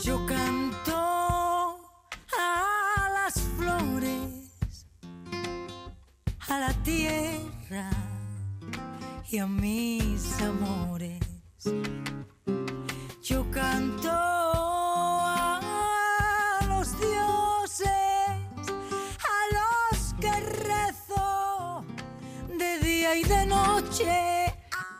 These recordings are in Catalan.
Yo canto a las flores, a la tierra y a mis amores. Yo canto a los dioses, a los que rezo de día y de noche.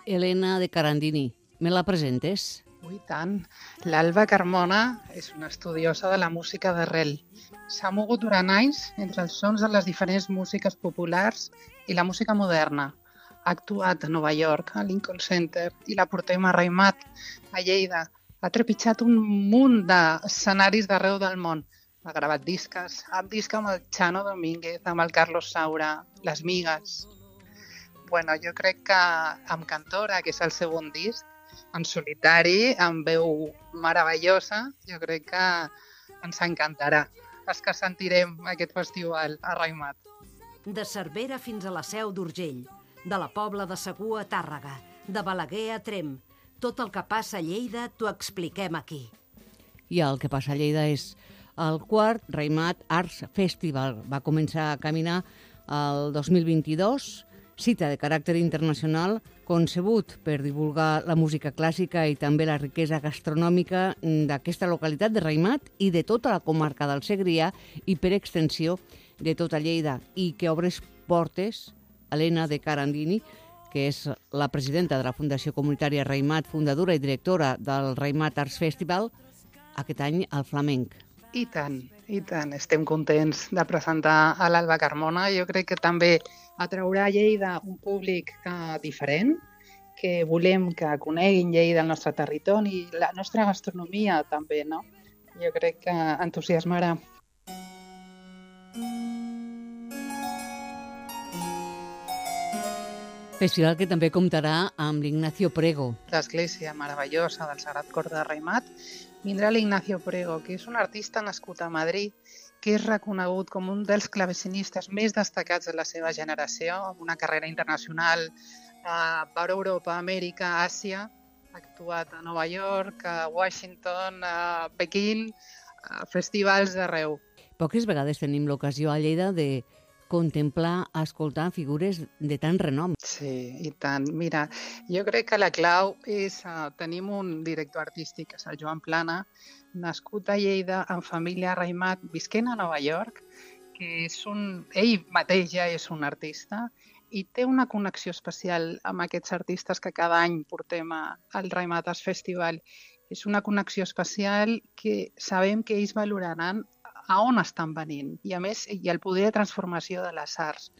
Elena de Carandini, me la presentes? I tant. L'Alba Carmona és una estudiosa de la música d'arrel. S'ha mogut durant anys entre els sons de les diferents músiques populars i la música moderna. Ha actuat a Nova York, a Lincoln Center, i la portem a Raïmat, a Lleida. Ha trepitjat un munt d'escenaris d'arreu del món. Ha gravat discs amb el Chano Domínguez, amb el Carlos Saura, Les Migues. Bueno, jo crec que amb Cantora, que és el segon disc, en solitari, amb veu meravellosa, jo crec que ens encantarà. És que sentirem aquest festival a Raïmat. De Cervera fins a la Seu d'Urgell, de la Pobla de Segur a Tàrrega, de Balaguer a Tremp. Tot el que passa a Lleida t'ho expliquem aquí. I el que passa a Lleida és el quart Raïmat Arts Festival. Va començar a caminar el 2022, cita de caràcter internacional, concebut per divulgar la música clàssica i també la riquesa gastronòmica d'aquesta localitat de Raïmat i de tota la comarca del Segrià i, per extensió, de tota Lleida, i que obres portes Elena de Carandini, que és la presidenta de la Fundació Comunitària Raïmat, fundadora i directora del Raïmat Arts Festival, aquest any al flamenc. I tant, i tant. Estem contents de presentar a l'Alba Carmona. Jo crec que també atraurà a Lleida un públic diferent, que volem que coneguin Lleida, el nostre territori, i la nostra gastronomia també, no? Jo crec que entusiasmarà. Festival que també comptarà amb l'Ignacio Prego. L'església meravellosa del Sagrat Cor de Raïmat vindrà l'Ignacio Prego, que és un artista nascut a Madrid, que és reconegut com un dels clavecinistes més destacats de la seva generació, amb una carrera internacional per Europa, Amèrica, Àsia. Ha actuat a Nova York, a Washington, a Pequín, a festivals d'arreu. Poques vegades tenim l'ocasió a Lleida de contemplar, escoltar figures de tant renom. Sí, i tant. Mira, jo crec que la clau és... tenim un director artístic, que és el Joan Plana, nascut a Lleida, en família a Raïmat, visquent a Nova York, que és ell mateix ja és un artista i té una connexió especial amb aquests artistes que cada any portem al Raïmat Arts Festival. És una connexió especial que sabem que ells valoraran a on estan venint i, a més, i el poder de transformació de les arts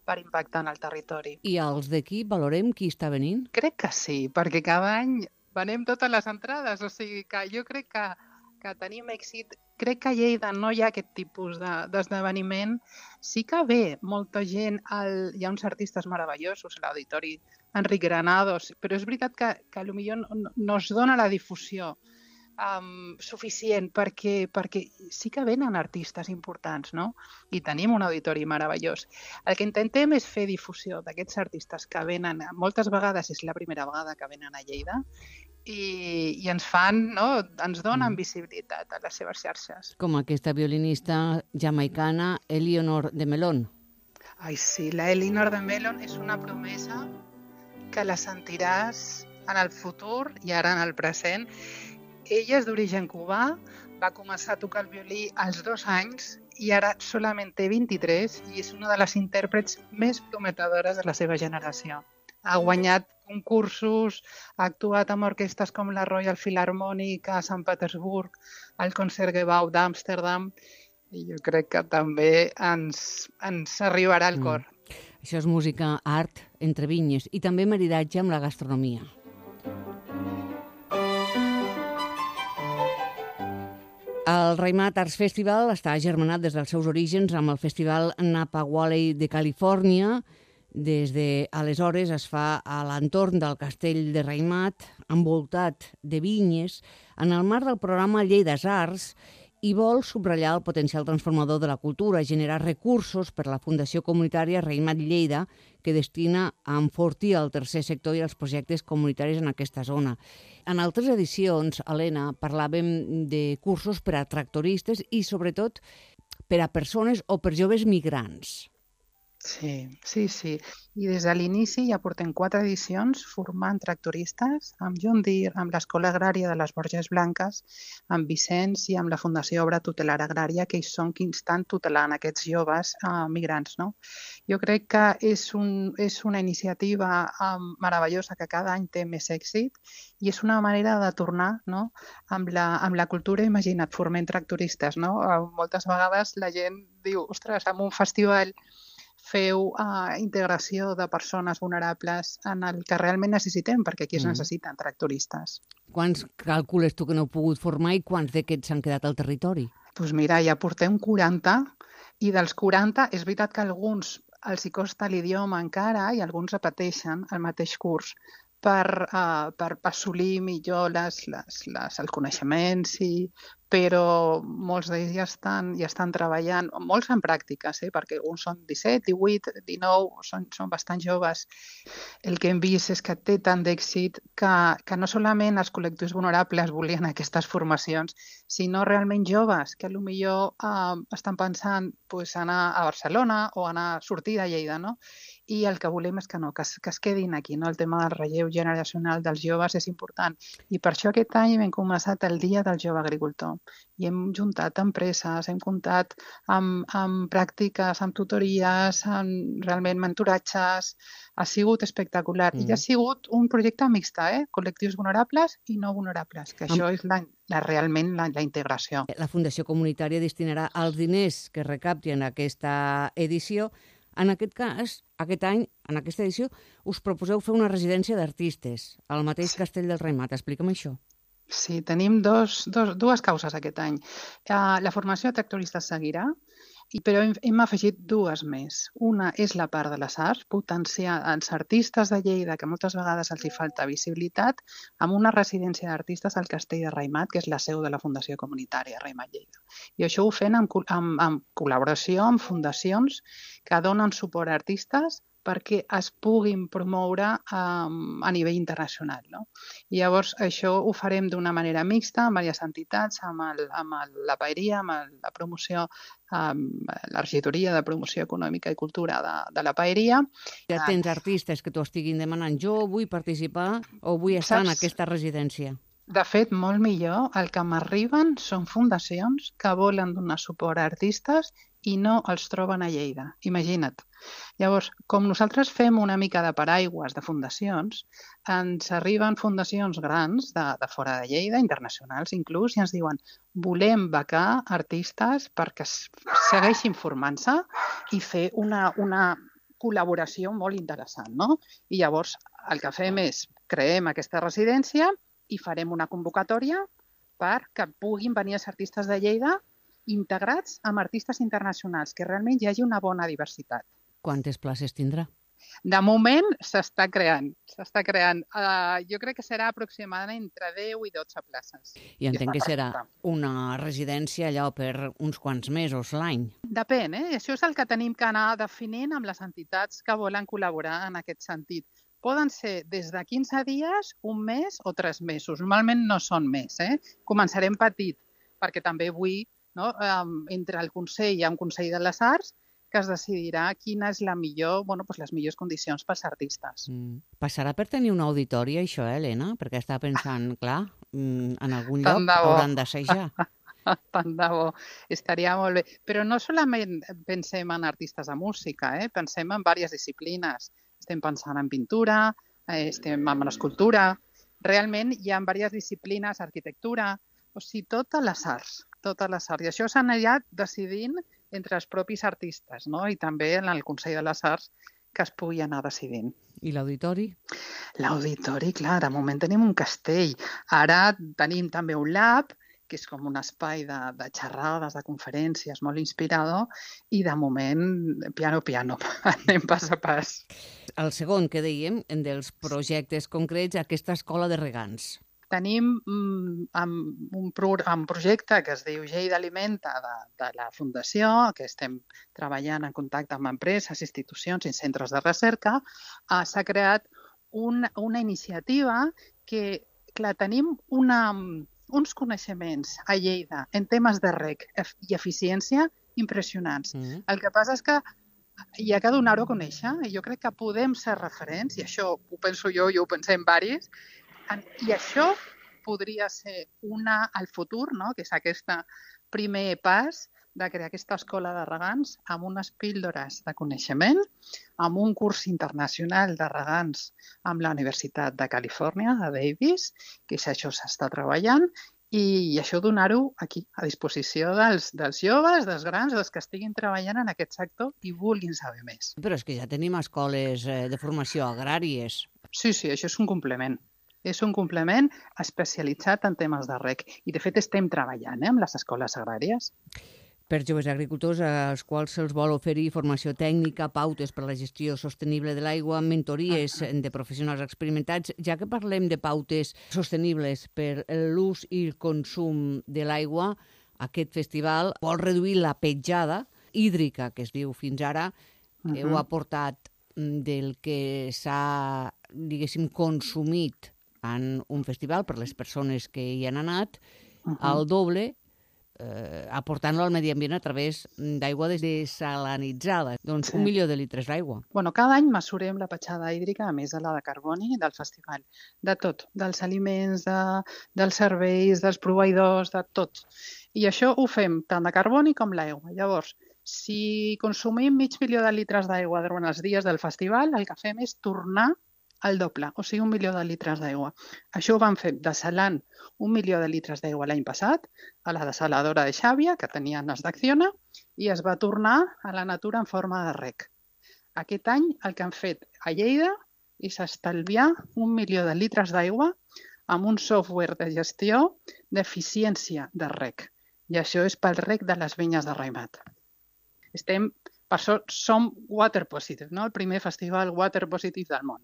per impactar en el territori. I els d'aquí valorem qui està venint? Crec que sí, perquè cada any venem totes les entrades, o sigui que jo crec que tenim èxit. Crec que a Lleida no hi ha aquest tipus d'esdeveniment. Sí que ve molta gent, hi ha uns artistes meravellosos a l'auditori Enric Granados, però és veritat que potser no es dona la difusió suficient perquè sí que venen artistes importants, no? I tenim un auditori meravellós. El que intentem és fer difusió d'aquests artistes que venen, moltes vegades és la primera vegada que venen a Lleida, i ens fan, no? Ens donen visibilitat a les seves xarxes. Com aquesta violinista jamaicana Eleanor de Melón. Ai, sí, la Eleanor de Melón és una promesa que la sentiràs en el futur i ara en el present. Ella és d'origen cubà, va començar a tocar el violí als 2 anys i ara solament té 23 i és una de les intèrprets més prometedores de la seva generació. Ha guanyat concursos, ha actuat amb orquestres com la Royal Philharmonic a Sant Petersburg, al Concertgebouw d'Amsterdam, i jo crec que també ens arribarà al cor. Això és música, art, entre vinyes i també maridatge amb la gastronomia. El Raimat Arts Festival està germanat des dels seus orígens amb el Festival Napa Valley de Califòrnia. Des d'aleshores es fa a l'entorn del castell de Raimat, envoltat de vinyes, en el marc del programa Lleida Arts, i vol subratllar el potencial transformador de la cultura, generar recursos per a la Fundació Comunitària Raimat Lleida, que destina a enfortir el tercer sector i els projectes comunitaris en aquesta zona. En altres edicions, Helena, parlàvem de cursos per a tractoristes i, sobretot, per a persones o per joves migrants. Sí. I des de l'inici ja portem 4 edicions formant tractoristes amb John Deere, amb l'Escola Agrària de les Borges Blanques, amb Vicenç i amb la Fundació Obra Tutelar Agrària, que ells són qui estan tutelant aquests joves migrants. No? Jo crec que és una iniciativa meravellosa que cada any té més èxit i és una manera de tornar, no? amb la cultura. Imagina't, formem tractoristes. No? Moltes vegades la gent diu, ostres, en un festival feu integració de persones vulnerables en el que realment necessitem, perquè aquí es necessiten tractoristes. Quants calcules tu que no heu pogut formar i quants d'aquests s'han quedat al territori? Doncs mira, ja portem 40 i dels 40 és veritat que alguns els hi costa l'idioma encara i alguns repeteixen el mateix curs per assolir millor el coneixement, sí, però molts d'ells ja estan treballant, molts en pràctiques, perquè alguns són 17, 18, 19, són bastant joves. El que hem vist és que té tant d'èxit que no solament els col·lectius vulnerables volien aquestes formacions, sinó realment joves que potser estan pensant anar a Barcelona o sortir de Lleida, no? I el que volem és que es quedin aquí, no? El tema del relleu generacional dels joves és important. I per això aquest any hem començat el Dia del Jove Agricultor. I hem juntat empreses, hem comptat amb pràctiques, amb tutories, amb realment mentoratges. Ha sigut espectacular. I ha sigut un projecte mixta, col·lectius vulnerables i no vulnerables, que això és realment la integració. La Fundació Comunitària destinarà els diners que recapti en aquesta edició. En aquest cas, aquest any, en aquesta edició, us proposeu fer una residència d'artistes al mateix castell del Raimat. Explica'm això. Sí, tenim dues causes aquest any. La formació de tractoristes seguirà, però hem afegit 2 més. Una és la part de les arts, potenciar els artistes de Lleida, que moltes vegades els hi falta visibilitat, amb una residència d'artistes al castell de Raimat, que és la seu de la Fundació Comunitària Raimat Lleida. I això ho fem en col·laboració amb fundacions que donen suport a artistes perquè es puguin promoure a nivell internacional. No? I llavors això ho farem d'una manera mixta amb diverses entitats, amb la paeria, amb la promoció, la regidoria de promoció econòmica i cultura de la paeria. Ja tens artistes que t'ho estiguin demanant. Jo vull participar o vull estar en aquesta residència. De fet, molt millor, el que m'arriben són fundacions que volen donar suport a artistes i no els troben a Lleida. Imagina't. Llavors, com nosaltres fem una mica de paraigües de fundacions, ens arriben fundacions grans de fora de Lleida, internacionals inclús, i ens diuen volem becar artistes perquè segueixin formant-se i fer una col·laboració molt interessant, no? I llavors el que fem és creem aquesta residència i farem una convocatòria perquè puguin venir els artistes de Lleida integrats amb artistes internacionals, que realment hi hagi una bona diversitat. Quantes places tindrà? De moment s'està creant. Jo crec que serà aproximadament entre 10 i 12 places. I entenc que serà una residència allò per uns quants mesos l'any. Depèn, Això és el que tenim que anar definint amb les entitats que volen col·laborar en aquest sentit. Poden ser des de 15 dies, un mes o 3 mesos. Normalment no són més. Començarem petit, perquè també vull, no, entre el Consell i el Consell de les Arts, que es decidirà quina és les millors condicions pels artistes. Passarà per tenir un auditori, això, Helena? Perquè estava pensant, clar, en algun lloc hauran d'assajar. Tant de bo, estaria molt bé. Però no solament pensem en artistes de música, pensem en diverses disciplines. Estem pensant en pintura, estem en escultura. Realment hi ha diverses disciplines, arquitectura, o sigui, totes les arts. I això s'anirà decidint entre els propis artistes, no? I també en el Consell de les Arts que es pugui anar decidint. I l'auditori? L'auditori, clar, de moment tenim un castell. Ara tenim també un lab que és com un espai de xerrades, de conferències, molt inspirador, i de moment, piano, anem pas a pas. El segon que dèiem, dels projectes concrets, aquesta escola de regants. Tenim un projecte que es diu Lleida Alimenta de la Fundació, que estem treballant en contacte amb empreses, institucions i centres de recerca. S'ha creat una iniciativa que, clar, tenim uns coneixements a Lleida en temes de reg i eficiència impressionants. El que passa és que hi ha que donar-ho a conèixer, i jo crec que podem ser referents, i això ho penso jo i ho pensem varis, i això podria ser al futur, no? Que és aquest primer pas de crear aquesta escola de regants amb unes píldores de coneixement, amb un curs internacional de regants amb la Universitat de Califòrnia, de Davis, que això s'està treballant, i això donar-ho aquí, a disposició dels joves, dels grans, dels que estiguin treballant en aquest sector i vulguin saber més. Però és que ja tenim escoles de formació agràries. Sí, això és un complement. És un complement especialitzat en temes de reg. I, de fet, estem treballant amb les escoles agràries. Per joves agricultors als quals se'ls vol oferir formació tècnica, pautes per a la gestió sostenible de l'aigua, mentories de professionals experimentats. Ja que parlem de pautes sostenibles per l'ús i el consum de l'aigua, aquest festival vol reduir la petjada hídrica, que es diu fins ara. Heu aportat del que s'ha, diguéssim, consumit en un festival per les persones que hi han anat, al doble, aportant-lo al medi ambient a través d'aigua desalinitzada. Doncs 1 milió de litres d'aigua. Cada any mesurem la petjada hídrica, a més de la de carboni, del festival. De tot, dels aliments, dels serveis, dels proveïdors, de tot. I això ho fem tant de carboni com l'aigua. Llavors, si consumim 500 milió de litres d'aigua durant els dies del festival, el que fem és tornar el doble, o sigui, 1 milió de litres d'aigua. Això ho vam fer desalant 1 milió de litres d'aigua l'any passat a la desaladora de Xàbia, que tenien els d'Acciona, i es va tornar a la natura en forma de reg. Aquest any el que han fet a Lleida és estalviar 1 milió de litres d'aigua amb un software de gestió d'eficiència de reg. I això és pel reg de les vinyes de Raimat. Per això som Water Positive, no? El primer festival Water Positive del món.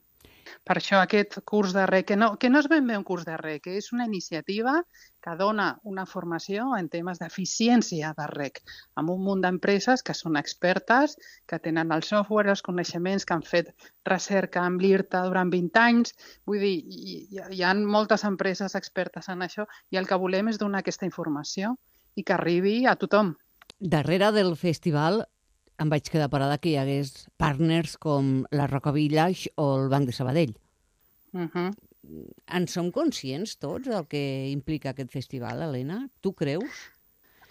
Per això aquest curs de reg, que no és ben bé un curs de reg, que és una iniciativa que dona una formació en temes d'eficiència de reg, amb un munt d'empreses que són expertes, que tenen el software, els coneixements, que han fet recerca amb l'IRTA durant 20 anys. Vull dir, hi ha moltes empreses expertes en això i el que volem és donar aquesta informació i que arribi a tothom. Darrere del festival em vaig quedar parada que hi hagués partners com la Roca Village o el Banc de Sabadell. En som conscients tots del que implica aquest festival, Helena? Tu creus?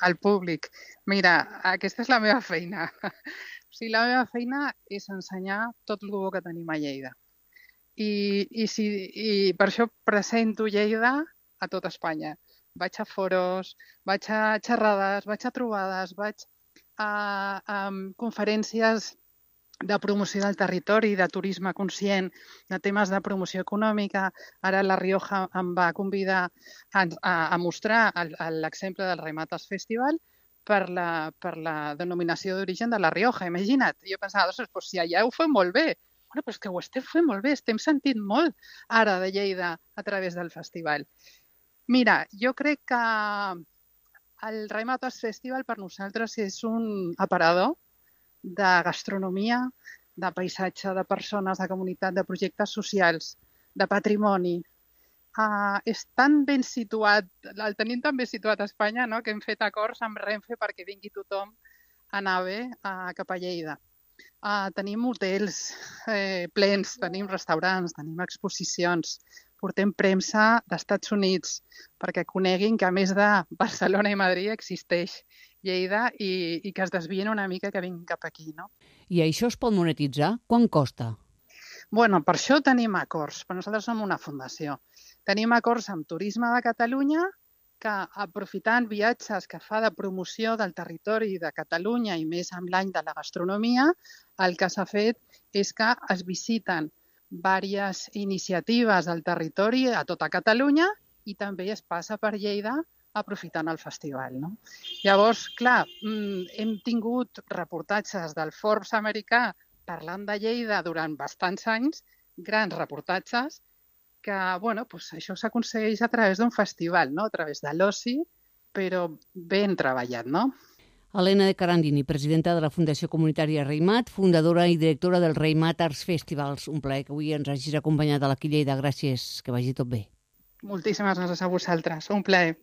El públic. Mira, aquesta és la meva feina. O sigui, la meva feina és ensenyar tot el bo que tenim a Lleida. I per això presento Lleida a tot Espanya. Vaig a foros, vaig a xerrades, vaig a trobades, vaig a conferències de promoció del territori, de turisme conscient, de temes de promoció econòmica. Ara la Rioja em va convidar a mostrar l'exemple del Raimatas Festival per la denominació d'origen de la Rioja. Imagina't, jo pensava, si allà ho fem molt bé. Però és que ho estem fent molt bé, estem sentint molt ara de Lleida a través del festival. Mira, jo crec que el Raimatas Festival per nosaltres és un aparador de gastronomia, de paisatge, de persones, de comunitat, de projectes socials, de patrimoni. És tan ben situat, el tenim tan ben situat a Espanya, no?, que hem fet acords amb Renfe perquè vingui tothom a AVE cap a Lleida. Tenim hotels plens, tenim restaurants, tenim exposicions, portem premsa d'Estats Units perquè coneguin que a més de Barcelona i Madrid existeix Lleida i que es desvien una mica que vinguin cap aquí, no? I això es pot monetitzar? Quant costa? Bueno, per això tenim acords, però nosaltres som una fundació. Tenim acords amb Turisme de Catalunya que, aprofitant viatges que fa de promoció del territori de Catalunya i més amb l'any de la gastronomia, el que s'ha fet és que es visiten diverses iniciatives del territori a tota Catalunya i també es passa per Lleida aprofitant el festival, no? Llavors, clar, hem tingut reportatges del Forbes americà parlant de Lleida durant bastants anys, grans reportatges, que bueno, doncs això s'aconsegueix a través d'un festival, no? A través de l'oci, però ben treballat, no? Helena de Carandini, presidenta de la Fundació Comunitària Reimat, fundadora i directora del Reimat Arts Festivals. Un plaer que avui ens hagis acompanyat a l'Aquí Lleida. Gràcies, que vagi tot bé. Moltíssimes gràcies a vosaltres. Un plaer.